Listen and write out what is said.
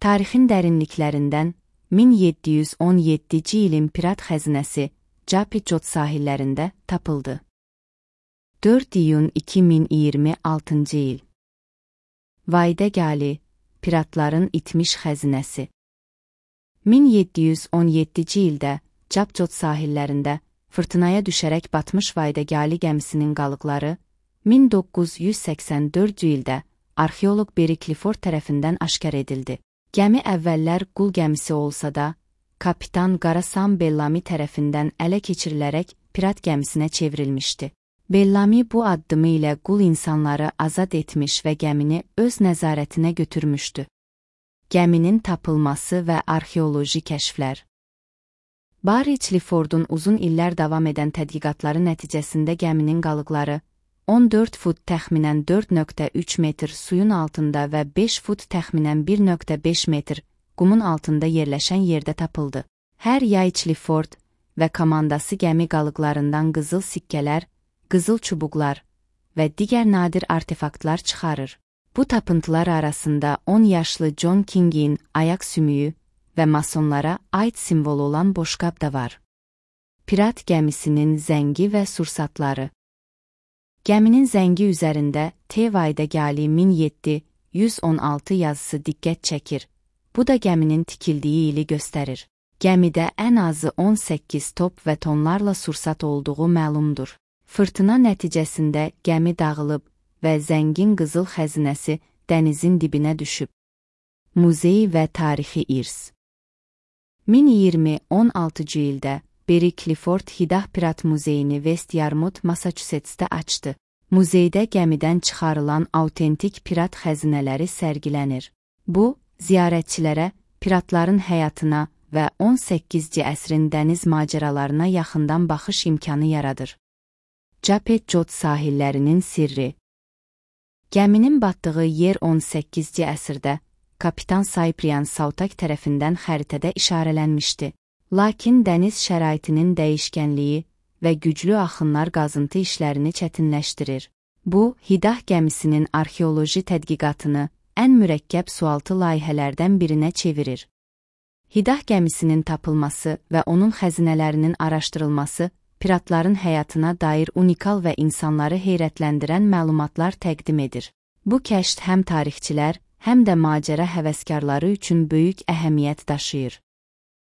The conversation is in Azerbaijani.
Tarixin dərinliklərindən 1717-ci ilin pirat xəzinəsi Japicot sahillərində tapıldı. 4 iyun 2026-cı il. Vaydə Gali, piratların itmiş xəzinəsi. 1717-ci ildə Japicot sahillərində fırtınaya düşərək batmış Vaydə Gali gəmisinin qalıqları 1984-cü ildə arxeoloq Barry Clifford tərəfindən aşkar edildi. Gəmi əvvəllər qul gəmisi olsa da, kapitan Qara Sam Bellamy tərəfindən ələ keçirilərək pirat gəmisinə çevrilmişdi. Bellamy bu addımı ilə qul insanları azad etmiş və gəmini öz nəzarətinə götürmüşdü. Gəminin tapılması və arxeoloji kəşflər. Barry Cliffordun uzun illər davam edən tədqiqatları nəticəsində gəminin qalıqları 14 fut təxminən 4.3 metr suyun altında və 5 fut təxminən 1.5 metr qumun altında yerləşən yerdə tapıldı. Hər yay Clifford və komandası gəmi qalıqlarından qızıl sikkələr, qızıl çubuqlar və digər nadir artefaktlar çıxarır. Bu tapıntılar arasında 10 yaşlı John King'in ayaq sümüyü və masonlara aid simvolu olan boşqab da var. Pirat gəmisinin zəngi və sursatları. Gəminin zəngi üzərində T. Vaydə Gali 1716 yazısı diqqət çəkir. Bu da gəminin tikildiyi ili göstərir. Gəmidə ən azı 18 top və tonlarla sursat olduğu məlumdur. Fırtına nəticəsində gəmi dağılıb və zəngin qızıl xəzinəsi dənizin dibinə düşüb. Muzey və tarixi irs. 1016-cı ildə Barry Clifford Hidah Pirat Muzeyini West Yarmouth, Massachusetts'də açdı. Muzeydə gəmidən çıxarılan autentik pirat xəzinələri sərgilənir. Bu, ziyarətçilərə piratların həyatına və 18-ci əsrin dəniz macəralarına yaxından baxış imkanı yaradır. Japicot sahillərinin sirri. Gəminin batdığı yer 18-ci əsrdə kapitan Cyprian Sautak tərəfindən xəritədə işarələnmişdi. Lakin dəniz şəraitinin dəyişkənliyi və güclü axınlar qazıntı işlərini çətinləşdirir. Bu, Hidah gəmisinin arxeoloji tədqiqatını ən mürəkkəb sualtı layihələrdən birinə çevirir. Hidah gəmisinin tapılması və onun xəzinələrinin araşdırılması piratların həyatına dair unikal və insanları heyrətləndirən məlumatlar təqdim edir. Bu kəşf həm tarixçilər, həm də macəra həvəskarları üçün böyük əhəmiyyət daşıyır.